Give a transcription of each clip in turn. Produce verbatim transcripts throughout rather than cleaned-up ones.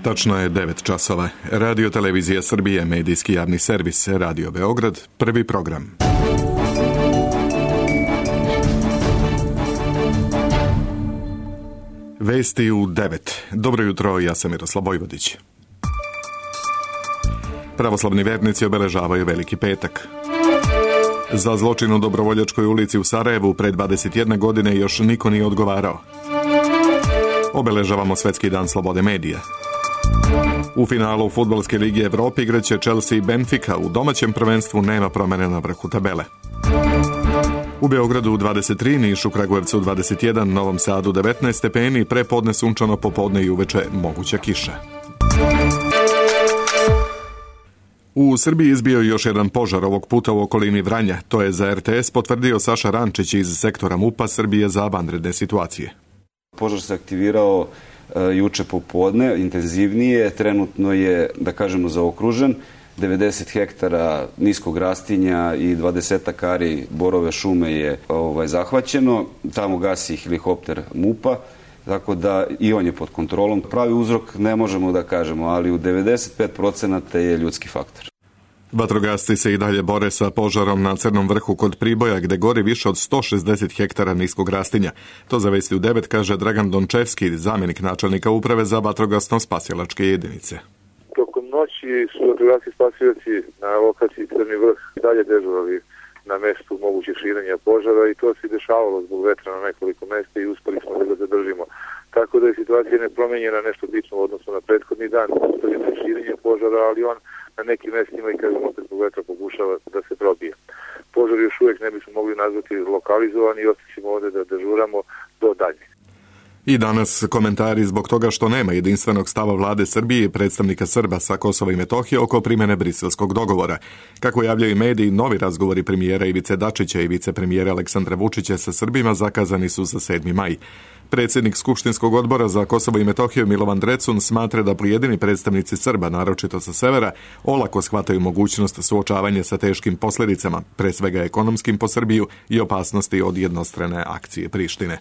Tačno je devet časova. Radio Televizija Srbije, medijski javni servis, Radio Beograd, prvi program. Vesti u devet. Dobro jutro, ja sam Miroslav Vojvodić. Pravoslavni vernici obeležavaju Veliki petak. Za zločin u Dobrovoljačkoj ulici u Sarajevu pre dvadeset jedne godine još niko nije odgovarao. Obeležavamo Svetski dan slobode medija. U finalu Fudbalske lige Evrope igraće Chelsea i Benfica, u domaćem prvenstvu nema promene na vrhu tabele. U Beogradu dvadeset tri, Nišu, Kragujevcu dvadeset jedan, Novom Sadu devetnaest stepeni, prepodne sunčano, popodne i uveče moguća kiša. U Srbiji izbio još jedan požar, ovog puta u okolini Vranja. To je za er te es potvrdio Saša Rančić iz sektora MUP-a Srbije za vanredne situacije. Požar se aktivirao e, juče popodne, intenzivnije, trenutno je, da kažemo, zaokružen. devedeset hektara niskog rastinja i dvadeset ari borove šume je ovaj, zahvaćeno. Tamo gasi helikopter MUP-a, tako da i on je pod kontrolom. Pravi uzrok ne možemo da kažemo, ali u devedeset pet procenata je ljudski faktor. Vatrogasci se i dalje bore sa požarom na Crnom vrhu kod Priboja, gde gori više od sto šezdeset hektara niskog rastinja. To za Vesti u devet kaže Dragan Dončevski, zamjenik načelnika uprave za vatrogasno-spasilačke jedinice. Tokom noći su vatrogasci spasioci na lokaciji Crni vrh i dalje dežurali na mestu mogućeg širenja požara i to se dešavalo zbog vetra na nekoliko mesta i uspeli smo da ga zadržimo. Tako da je situacija nepromenjena, nešto bitno u odnosu na prethodni dan, ustavljeno je širenje požara, ali on na nekim mestima i kažem opet zbog vetra pokušava da se probije. Požar još uvijek ne bismo mogli nazvati lokalizovan i ostaćemo ovde da dežuramo do dalje. I danas komentari zbog toga što nema jedinstvenog stava vlade Srbije i predstavnika Srba sa Kosova i Metohije oko primjene briselskog dogovora. Kako javljaju mediji, novi razgovori premijera Ivice Dačića i vicepremijera Aleksandra Vučića sa Srbima zakazani su za sedmi maj. Predsjednik Skupštinskog odbora za Kosovo i Metohiju Milovan Drecun smatra da pojedini predstavnici Srba, naročito sa severa, olako shvataju mogućnost suočavanja sa teškim posljedicama, pre svega ekonomskim po Srbiju i opasnosti od jednostrane akcije Prištine.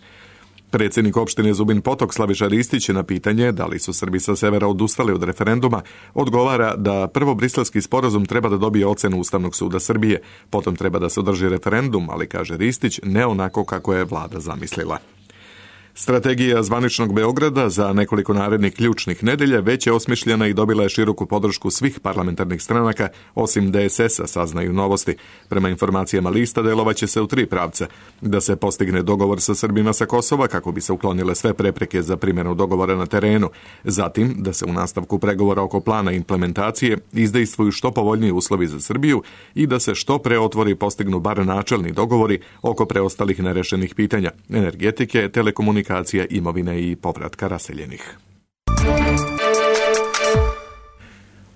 Predsjednik opštine Zubin Potok Slaviša Ristić na pitanje da li su Srbi sa severa odustali od referenduma odgovara da prvo briselski sporazum treba da dobije ocenu Ustavnog suda Srbije, potom treba da se održi referendum, ali kaže Ristić ne onako kako je vlada zamislila. Strategija zvaničnog Beograda za nekoliko narednih ključnih nedelja već je osmišljena i dobila je široku podršku svih parlamentarnih stranaka, osim de es es-a, saznaju Novosti. Prema informacijama lista delovaće se u tri pravca. Da se postigne dogovor sa Srbima sa Kosova kako bi se uklonile sve prepreke za primjenu dogovora na terenu. Zatim, da se u nastavku pregovora oko plana implementacije izdejstvuju što povoljniji uslovi za Srbiju i da se što pre otvori i postignu bar načelni dogovori oko preostalih nerešenih pitanja, energetike, telekomunikacije, imovine i povratka raseljenih.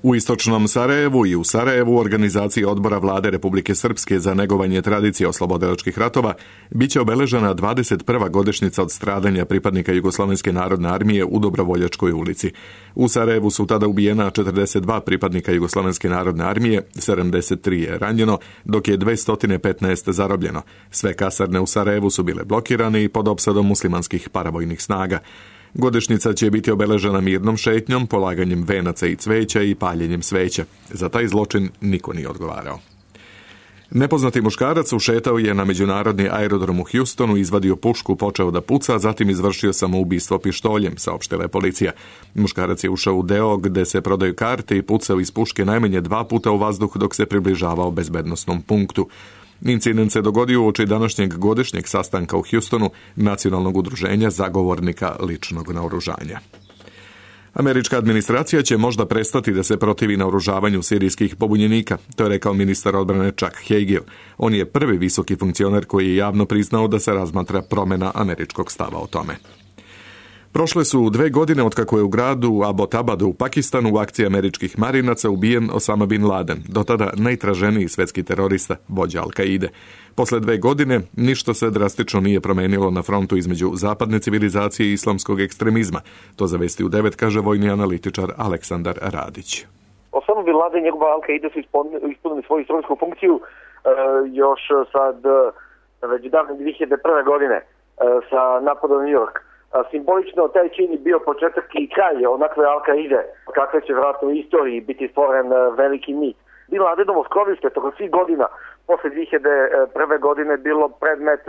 U istočnom Sarajevu i u Sarajevu organizaciji odbora vlade Republike Srpske za negovanje tradicije oslobodilačkih ratova biće obeležena dvadeset prva godišnjica od stradanja pripadnika Jugoslovenske narodne armije u Dobrovoljačkoj ulici. U Sarajevu su tada ubijena četrdeset dva pripadnika Jugoslovenske narodne armije, sedamdeset tri je ranjeno, dok je dvesta petnaest zarobljeno. Sve kasarne u Sarajevu su bile blokirane i pod opsadom muslimanskih paravojnih snaga. Godišnjica će biti obeležena mirnom šetnjom, polaganjem venaca i cveća i paljenjem sveća. Za taj zločin niko nije odgovarao. Nepoznati muškarac ušetao je na međunarodni aerodrom u Houstonu, izvadio pušku, počeo da puca, zatim izvršio samoubistvo pištoljem, saopštila je policija. Muškarac je ušao u deo gde se prodaju karte i pucao iz puške najmanje dva puta u vazduh dok se približavao bezbednosnom punktu. Incident se dogodio uoči današnjeg godišnjeg sastanka u Houstonu Nacionalnog udruženja zagovornika ličnog naoružanja. Američka administracija će možda prestati da se protivi naoružavanju sirijskih pobunjenika, to je rekao ministar odbrane Chuck Hagel. On je prvi visoki funkcioner koji je javno priznao da se razmatra promjena američkog stava o tome. Prošle su dve godine otkako je u gradu Abbottabadu u Pakistanu u akciji američkih marinaca ubijen Osama bin Laden, do tada najtraženiji svetski terorista, vođa Al-Kaide. Posle dve godine ništa se drastično nije promenilo na frontu između zapadne civilizacije i islamskog ekstremizma. To za Vesti u devet kaže vojni analitičar Aleksandar Radić. Osama bin Laden i njegova Al-Kaide su ispunili svoju istorijsku funkciju e, još sad već davne dvije hiljade prve godine e, sa napadom na New York. Simbolično taj čin je bio početak i kraj onakve Al-Kaide, kakve će vjerojatno u istoriji biti stvoren veliki mit. Bin Ladenovo skrovište tokom svih godina posle dve hiljade prve godine bilo predmet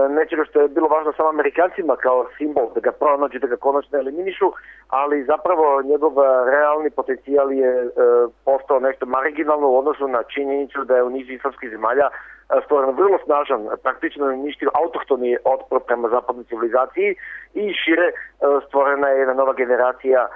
nečega što je bilo važno samo Amerikancima kao simbol, da ga pronađu, da ga konačno eliminišu, ali zapravo njegov realni potencijal je e, postao nešto marginalno u odnosu na činjenicu da je u nizu islamskih zemalja stvoren vrlo snažan, praktično uništio autohtoni otpor prema zapadnoj civilizaciji i šire e, stvorena je jedna nova generacija e,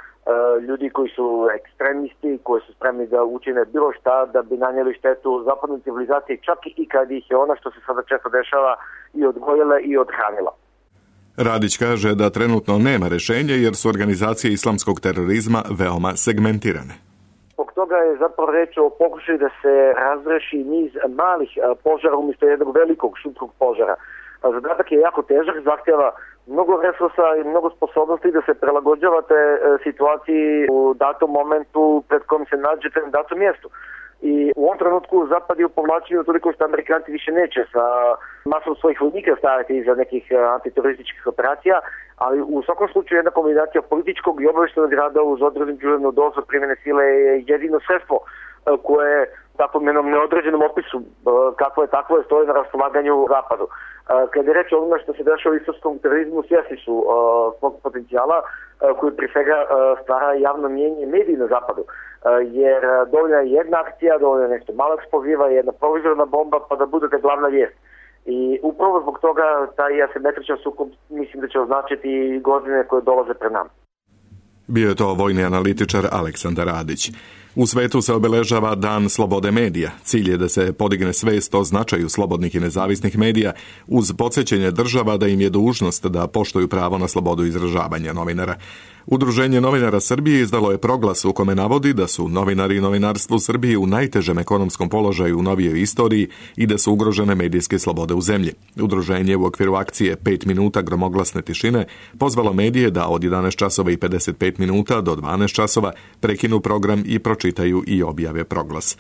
ljudi koji su ekstremisti, koji su spremni da učine bilo šta da bi nanijeli štetu zapadnoj civilizaciji, čak i kad ih je ona, što se sada često dešava, i odgojila i odhranila. Radić kaže da trenutno nema rešenja jer su organizacije islamskog terorizma veoma segmentirane. Zbog toga je zapravo reč o pokušaju da se razreši niz malih požara umjesto jednog velikog šumskog požara. Zadatak je jako težak, zahtjeva mnogo resursa i mnogo sposobnosti da se prilagođavate situaciji u datom momentu pred kojim se nađete na datom mjestu. I u ovom trenutku Zapad je u povlačenju toliko što Amerikanci više neće sa masom svojih vojnika staviti iza nekih antiterorističkih operacija, ali u svakom slučaju jedna kombinacija političkog i obavještajnog rada uz određenu dozu primjene sile je jedino sredstvo koje takvom jednom neodređenom opisu kako je takvo je stoji na raspolaganju Zapadu. Kada je reč o onome što se dešava u islamskom terorizmu, svjesni su svog potencijala koji prije svega stvara javno mnijenje mediji na Zapadu. Jer dovoljna je jedna akcija, dovoljna je nešto malo eksploziva, jedna provizorna bomba pa da budete glavna vijest. I upravo zbog toga taj asimetričan sukob mislim da će označiti godine koje dolaze pred nama. Bio je to vojni analitičar Aleksandar Radić. U svetu se obeležava Dan slobode medija. Cilj je da se podigne svest o značaju slobodnih i nezavisnih medija uz podsjećanje država da im je dužnost da poštuju pravo na slobodu izražavanja novinara. Udruženje novinara Srbije izdalo je proglas u kome navodi da su novinari i novinarstvo u Srbiji u najtežem ekonomskom položaju u novijoj istoriji i da su ugrožene medijske slobode u zemlji. Udruženje u okviru akcije pet minuta gromoglasne tišine pozvalo medije da od jedanaest časova i pedeset pet minuta do dvanaest časova prekinu program i pročitaju i objave proglas.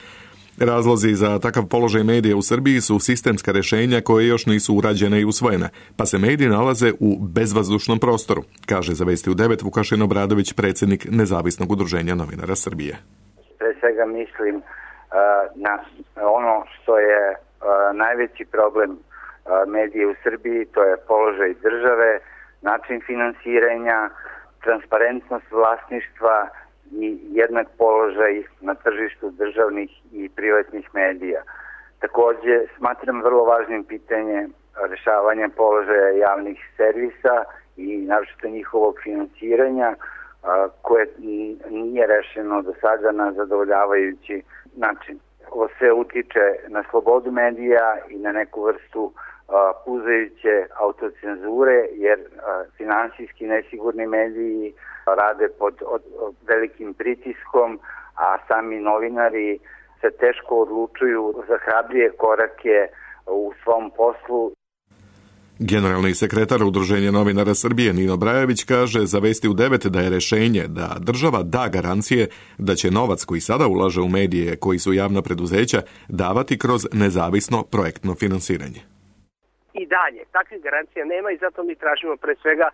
Razlozi za takav položaj medija u Srbiji su sistemska rješenja koje još nisu urađene i usvojene, pa se mediji nalaze u bezvazdušnom prostoru, kaže za Vesti u devet Vukašin Obradović, predsjednik Nezavisnog udruženja novinara Srbije. Pre svega mislim uh, na ono što je uh, najveći problem uh, medije u Srbiji, to je položaj države, način finansiranja, transparentnost vlasništva i jednak položaj na tržištu državnih i privatnih medija. Također smatram vrlo važnim pitanje rješavanja položaja javnih servisa i naročito njihovog finansiranja koje nije rešeno do sada na zadovoljavajući način. Ovo sve utiče na slobodu medija i na neku vrstu puzajuće autocenzure jer finansijski nesigurni mediji rade pod od, od velikim pritiskom, a sami novinari se teško odlučuju za hrabrije korake u svom poslu. Generalni sekretar Udruženja novinara Srbije Nino Brajević kaže za Vesti u devet da je rešenje da država da garancije da će novac koji sada ulaže u medije koji su javna preduzeća davati kroz nezavisno projektno finansiranje. I dalje, takvih garancija nema i zato mi tražimo pre svega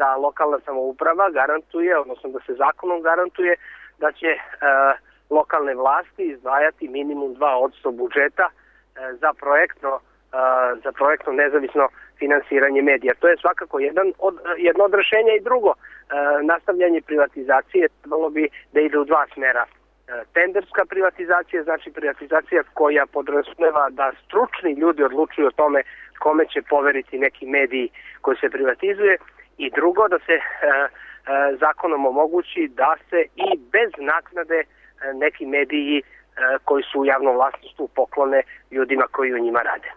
da lokalna samouprava garantuje, odnosno da se zakonom garantuje da će e, lokalne vlasti izdvajati minimum dva posto budžeta e, za projektno e, za projektno nezavisno finansiranje medija. To je svakako jedan od, jedno od rešenja i drugo. E, nastavljanje privatizacije trebalo bi da ide u dva smera. E, tenderska privatizacija, znači privatizacija koja podrazumeva da stručni ljudi odlučuju o tome kome će poveriti neki mediji koji se privatizuje. I drugo, da se e, e, zakonom omogući da se i bez naknade e, neki mediji e, koji su u javnom vlasništvu poklone ljudima koji u njima rade.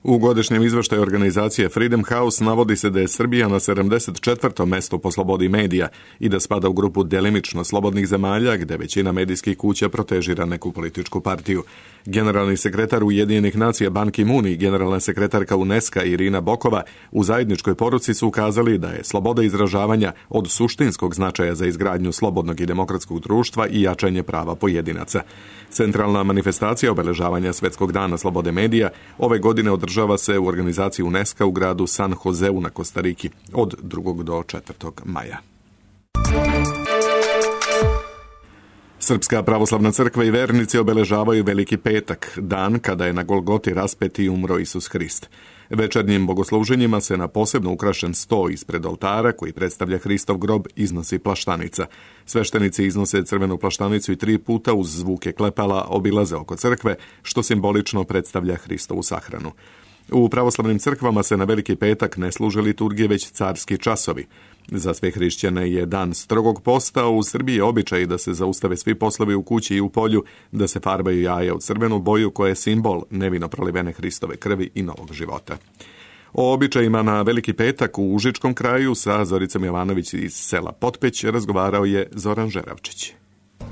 U godišnjem izveštaju organizacije Freedom House navodi se da je Srbija na sedamdeset četvrtom mestu po slobodi medija i da spada u grupu delimično slobodnih zemalja gde većina medijskih kuća protežira neku političku partiju. Generalni sekretar Ujedinjenih nacija Ban Ki-moon i generalna sekretarka UNESCO Irina Bokova u zajedničkoj poruci su ukazali da je sloboda izražavanja od suštinskog značaja za izgradnju slobodnog i demokratskog društva i jačanje prava pojedinaca. Centralna manifestacija obeležavanja Svetskog dana slobode medija ove godine održava održava se u organizaciji UNESCO u gradu San Joseu na Kostariki od drugog do četvrtog maja. Srpska pravoslavna crkva i vernici obeležavaju Veliki petak, dan kada je na Golgoti raspet i umro Isus Hrist. Večernjim bogosluženjima se na posebno ukrašen sto ispred oltara, koji predstavlja Hristov grob, iznosi plaštanica. Sveštenici iznose crvenu plaštanicu i tri puta uz zvuke klepala obilaze oko crkve, što simbolično predstavlja Hristovu sahranu. U pravoslavnim crkvama se na Veliki petak ne služe liturgije, već carski časovi. Za sve hrišćane je dan strogog posta, u Srbiji je običaj da se zaustave svi poslovi u kući i u polju, da se farbaju jaja u crvenu boju koja je simbol nevino prolivene Hristove krvi i novog života. O običajima na Veliki petak u Užičkom kraju sa Zoricom Jovanović iz sela Potpeć razgovarao je Zoran Žeravčić.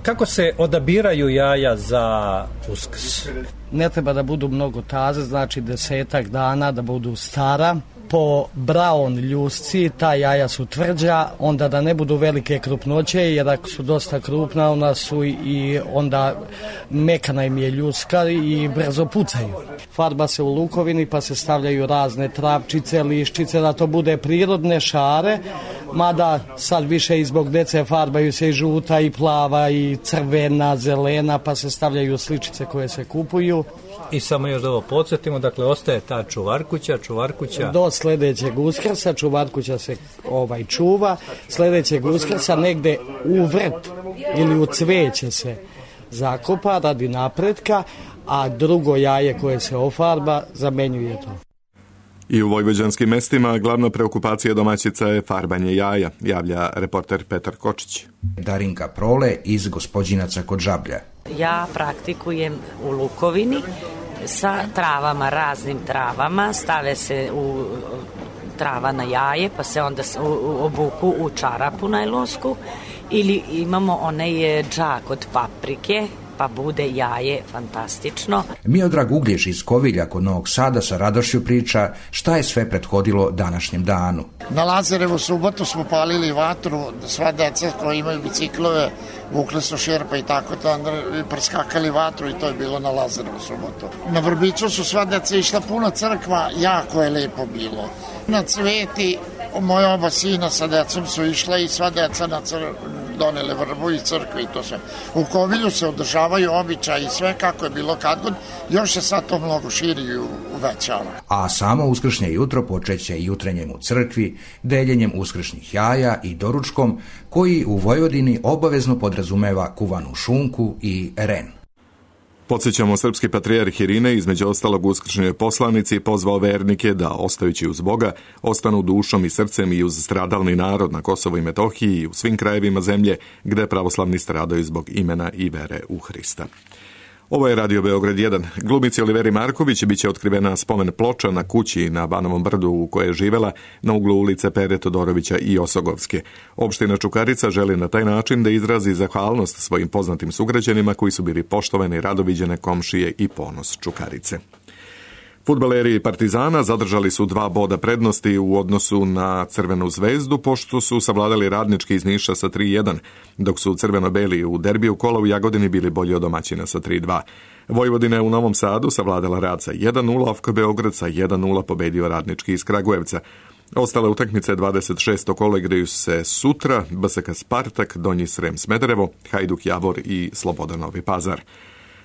Kako se odabiraju jaja za Uskrs? Ne treba da budu mnogo taze, znači desetak dana da budu stara. Po braun ljusci ta jaja su tvrđa, onda da ne budu velike krupnoće, jer ako su dosta krupna, ona su i onda mekana im je ljuska i brzo pucaju. Farba se u lukovini pa se stavljaju razne travčice, liščice, da to bude prirodne šare, mada sad više i zbog dece farbaju se i žuta i plava i crvena, zelena, pa se stavljaju sličice koje se kupuju. I samo još da ovo podsjetimo, dakle ostaje ta čuvarkuća, čuvarkuća. Do sljedećeg Uskrsa čuvarkuća se ovaj čuva, sljedećeg Uskrsa negde u vrt ili u cveće se zakopa radi napretka, a drugo jaje koje se ofarba zamenjuje to. I u vojvođanskim mestima glavna preokupacija domaćica je farbanje jaja, javlja reporter Petar Kočić. Darinka Prole iz Gospođinaca kod Žablja. Ja praktikujem u lukovini sa travama, raznim travama, stave se u trava na jaje, pa se onda obuku u čarapu najlonsku, ili imamo onaj džak od paprike, pa bude jaje fantastično. Miodrag Uglješ iz Kovilja kod Novog Sada sa radošću priča šta je sve prethodilo današnjem danu. Na Lazarevu subotu smo palili vatru, sva deca koji imaju biciklove vukli su šerpa i tako to, i preskakali vatru i to je bilo na Lazarevu subotu. Na Vrbicu su sva deca išla puno crkva, jako je lepo bilo. Na Cveti moja oba sina sa decom su išla i sva deca na crkvu donele vrbu iz crkve i to sve. U Kovilju se održavaju običaji i sve kako je bilo kad god, još se sad to mnogo širi i uvećava. A samo uskršnje jutro počeće jutrenjem u crkvi, deljenjem uskršnjih jaja i doručkom, koji u Vojvodini obavezno podrazumeva kuvanu šunku i ren. Podsjećamo, srpski patrijarh Irine, između ostalog uskršnjoj poslanici, pozvao vernike da, ostajući uz Boga, ostanu dušom i srcem i uz stradalni narod na Kosovu i Metohiji i u svim krajevima zemlje gde pravoslavni stradaju zbog imena i vere u Hrista. Ovo je Radio Beograd jedan. Glumici Oliveri Marković biće otkrivena spomen ploča na kući na Banovom brdu u kojoj je živela na uglu ulice Pere Todorovića i Osogovske. Opština Čukarica želi na taj način da izrazi zahvalnost svojim poznatim sugrađanima koji su bili poštovane i radoviđene komšije i ponos Čukarice. Fudbaleri Partizana zadržali su dva boda prednosti u odnosu na Crvenu zvezdu, pošto su savladali Radnički iz Niša sa tri jedan, dok su crveno-beli u derbiju kola u Jagodini bili bolji od domaćina sa tri dva. Vojvodina je u Novom Sadu savladala Rad sa jedan nula, a Beograd sa jedan nula pobedio Radnički iz Kragujevca. Ostale utakmice dvadeset šesto kola igraju se sutra: B S K Spartak, Donji Srem Smederevo, Hajduk Javor i Slobodan Novi Pazar.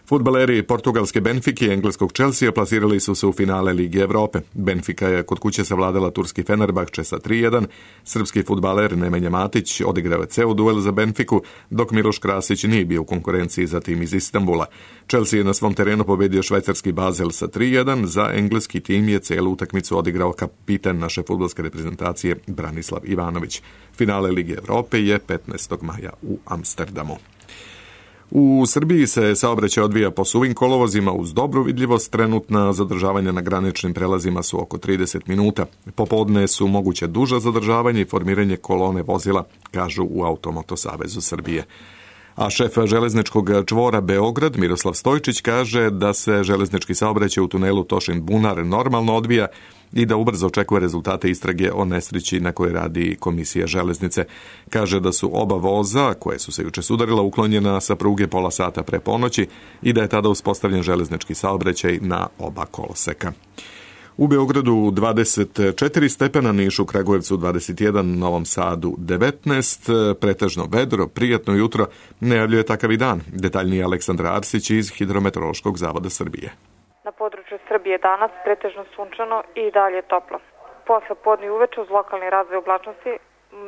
Fudbaleri portugalske Benfike i engleskog Chelsea plasirali su se u finale Lige Evrope. Benfika je kod kuće savladala turski Fenerbahče sa tri jedan. Srpski fudbaler Nemanja Matić odigrao je ceo duel za Benfiku, dok Miloš Krasić nije bio u konkurenciji za tim iz Istanbula. Chelsea je na svom terenu pobedio švajcarski Basel sa tri jedan. Za engleski tim je celu utakmicu odigrao kapitan naše fudbalske reprezentacije Branislav Ivanović. Finale Lige Evrope je petnaestog maja u Amsterdamu. U Srbiji se saobraćaj odvija po suvim kolovozima uz dobru vidljivost. Trenutna zadržavanja na graničnim prelazima su oko trideset minuta. Popodne su moguće duža zadržavanja i formiranje kolone vozila, kažu u Automoto Savezu Srbije. A šef železničkog čvora Beograd, Miroslav Stojčić, kaže da se železnički saobraćaj u tunelu Tošin-Bunar normalno odvija i da ubrzo očekuje rezultate istrage o nesreći na kojoj radi Komisija železnice. Kaže da su oba voza, koje su se juče sudarila, uklonjena sa pruge pola sata pre ponoći i da je tada uspostavljen železnički saobraćaj na oba koloseka. U Beogradu dvadeset četiri stepena, Nišu, Kragujevcu dvadeset jedan, Novom Sadu devetnaest, pretežno vedro, prijatno jutro, najavljuje takav i dan. Detaljnije Aleksandra Arsić iz Hidrometeorološkog zavoda Srbije. Na području Srbije danas pretežno sunčano i dalje toplo. Posle podne i uveče uz lokalni razvoj oblačnosti,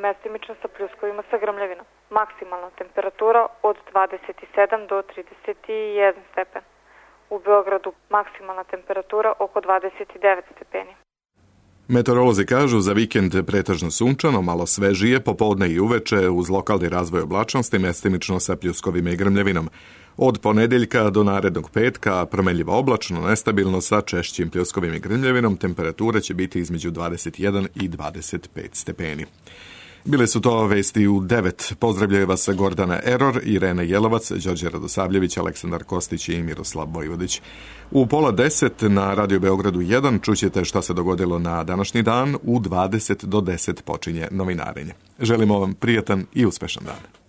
mestimično sa pljuskovima sa grmljavinom. Maksimalna temperatura od dvadeset sedam do trideset jedan stepen. U Beogradu maksimalna temperatura oko dvadeset devet stepeni. Meteorolozi kažu za vikend pretežno sunčano, malo svežije, popodne i uveče uz lokalni razvoj oblačnosti, mestimično sa pljuskovima i grmljavinom. Od ponedeljka do narednog petka promenljivo oblačno, nestabilno sa češćim pljuskovima i grmljavinom, temperatura će biti između dvadeset jedan i dvadeset pet stepeni. Bile su to vesti u devet. Pozdravljaju vas Gordana Eror, Irena Jelovac, Đorđe Radosavljević, Aleksandar Kostić i Miroslav Vojvodić. U pola deset na Radio Beogradu jedan čućete šta se dogodilo na današnji dan. U dvadeset do deset počinje novinarenje. Želimo vam prijatan i uspešan dan.